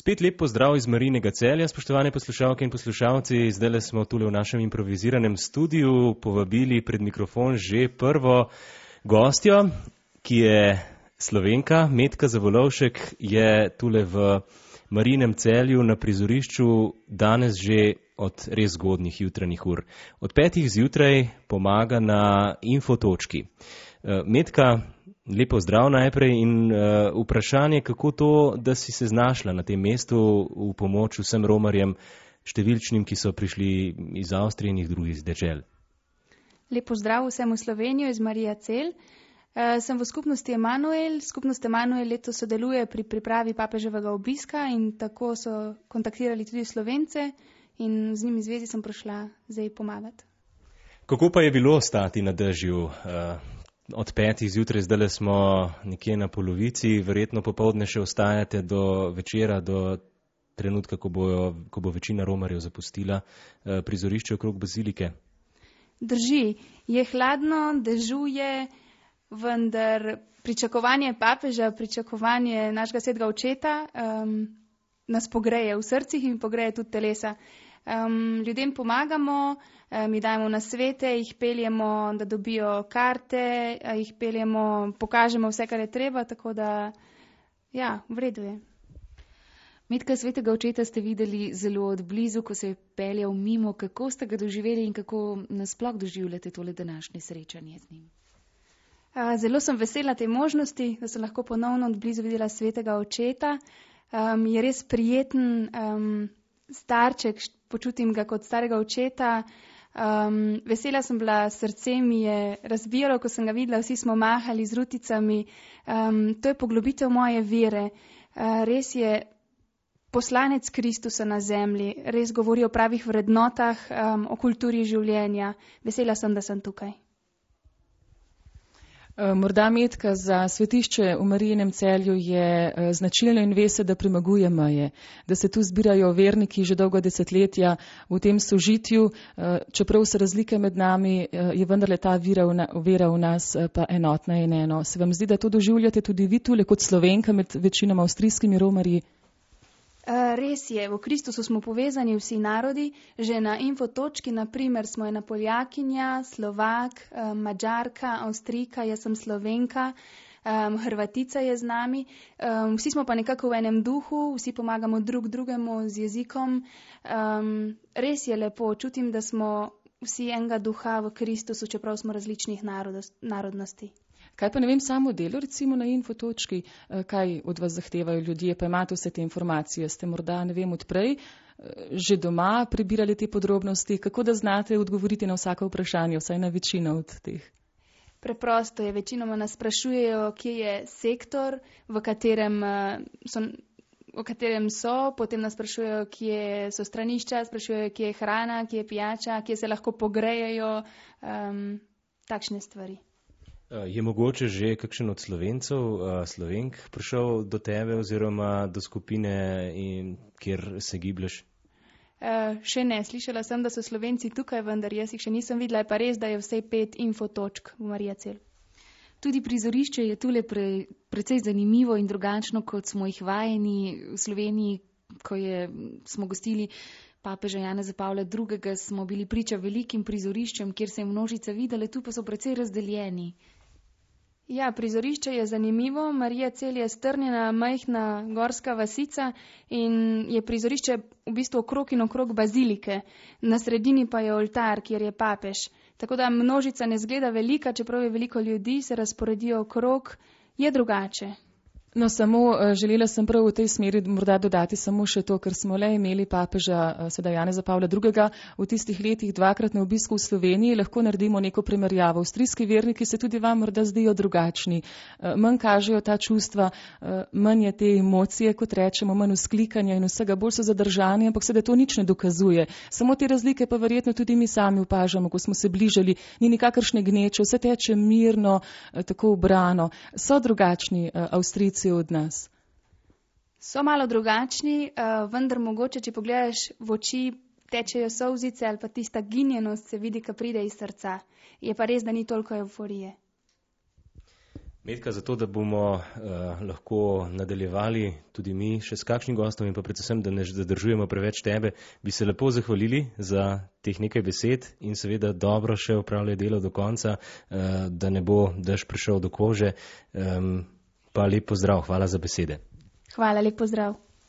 Spet lep pozdrav iz Marijinega Celja, spoštovane poslušalke in poslušalci. Zdajle smo tule v našem improviziranem studiu povabili pred mikrofon že prvo gostjo, ki je Slovenka. Metka Zavolovšek je tule v Marijinem Celju na prizorišču danes že od res zgodnjih jutranjih ur. Od 5 zjutraj pomaga na infotočki. Metka, lepo zdrav najprej in vprašanje, kako to, da si se znašla na tem mestu v pomoč vsem romarjem številčnim, ki so prišli iz Avstrije in drugih dežel. Lepo zdrav vsem v Slovenijo iz Marija Celj. Sem v skupnosti Emanuel. Skupnost Emanuel letos sodeluje pri pripravi papeževega obiska in tako so kontaktirali tudi Slovence in z njimi zvezi sem prišla zdaj pomagati. Kako pa je bilo stati na dežju? Od 5 zjutraj, zdaj smo nekje na polovici, verjetno popoldne še ostajate do večera, do trenutka, ko bo večina romarjev zapustila prizorišče okrog bazilike. Drži, je hladno, dežuje, vendar pričakovanje papeža, pričakovanje našega svetega očeta nas pogreje v srcih in pogreje tudi telesa. Ljudem pomagamo, mi dajemo nasvete, jih peljemo, da dobijo karte, jih peljemo, pokažemo vse, kar je treba, tako da, ja, v redu je. Metka, svetega očeta ste videli zelo od blizu, ko se je peljal mimo. Kako ste ga doživeli in kako nasploh doživljate tole današnje srečanje z njim? Zelo sem vesela te možnosti, da sem lahko ponovno od blizu videla svetega očeta. Je res prijeten starček, počutim ga kot starega očeta. Vesela sem bila, srce mi je razbijalo, ko sem ga videla, vsi smo mahali z ruticami. To je poglobitev moje vere. Res je poslanec Kristusa na zemlji, res govori o pravih vrednotah, o kulturi življenja. Vesela sem, da sem tukaj. Morda, Metka, za svetišče v Marijinem Celju je značilno in ve se, da premaguje meje, da se tu zbirajo verniki že dolgo desetletja v tem sožitju, čeprav so razlike med nami, je vendarle ta vera v nas pa enotna in eno. Se vam zdi, da to doživljate tudi vi tule kot Slovenka med večinoma avstrijskimi romarji? Res je, v Kristusu smo povezani vsi narodi, že na infotočki, naprimer, smo ena Poljakinja, Slovak, Mađarka, Avstrijka, jaz sem Slovenka, Hrvatica je z nami. Vsi smo pa nekako v enem duhu, vsi pomagamo drug drugemu z jezikom. Res je lepo, čutim, da smo vsi enega duha v Kristusu, čeprav smo različnih narodnosti. Kaj pa ne vem, samo delo recimo na infotočki, kaj od vas zahtevajo ljudje, pa imate vse te informacije, ste morda, ne vem, odprej, že doma prebirali te podrobnosti, kako da znate odgovoriti na vsako vprašanje, vsaj na večino od teh? Preprosto je, večinoma nas sprašujejo, kje je sektor, v katerem so, potem nas sprašujejo, kje so stranišča, sprašujejo, kje je hrana, kje je pijača, kje se lahko pogrejejo, takšne stvari. Je mogoče že kakšen od Slovencev, Slovenk prišel do tebe oziroma do skupine, kjer se giblješ? Še ne, slišala sem, da so Slovenci tukaj, vendar jaz jih še nisem videla, je pa res, da je vsej 5 infotočk v Marija Celj. Tudi prizorišče je tule precej zanimivo in drugačno, kot smo jih vajeni v Sloveniji, ko smo gostili papeža Janeza Pavla II, smo bili priča velikim prizoriščem, kjer se je množica videla, tu pa so precej razdeljeni. Ja, prizorišče je zanimivo. Marija Celj je strnjena, majhna gorska vasica in je prizorišče v bistvu okrog in okrog bazilike. Na sredini pa je oltar, kjer je papež. Tako da množica ne zgleda velika, čeprav je veliko ljudi, se razporedijo okrog, je drugače. No, samo želela sem prav v tej smeri morda dodati samo še to, ker smo le imeli papeža sedaj Janeza Pavla II. V tistih letih 2-krat na obisku v Sloveniji, lahko naredimo neko primerjavo. Avstrijski verniki se tudi vam morda zdijo drugačni. Manj kažejo ta čustva, manj je te emocije, kot rečemo, manj vzklikanja in vsega, bolj so zadržani, ampak se da to nič ne dokazuje. Samo te razlike pa verjetno tudi mi sami opažamo, ko smo se bližali. Ni nikakršne gneče, vse teče mirno, tako ubrano. So drugačni Avstrijci od nas? So malo drugačni, vendar mogoče, če pogledaš v oči, tečejo solzice ali pa tista ginjenost se vidi, ko pride iz srca. Je pa res, da ni toliko evforije. Metka, zato da bomo lahko nadaljevali tudi mi še s kakšnim gostom in pa predvsem, da ne zadržujemo preveč tebe, bi se lepo zahvalili za teh nekaj besed in seveda dobro še opravljaj delo do konca, da ne bo dež prišel do kože. Pa lep pozdrav, hvala za besede. Hvala, lep pozdrav.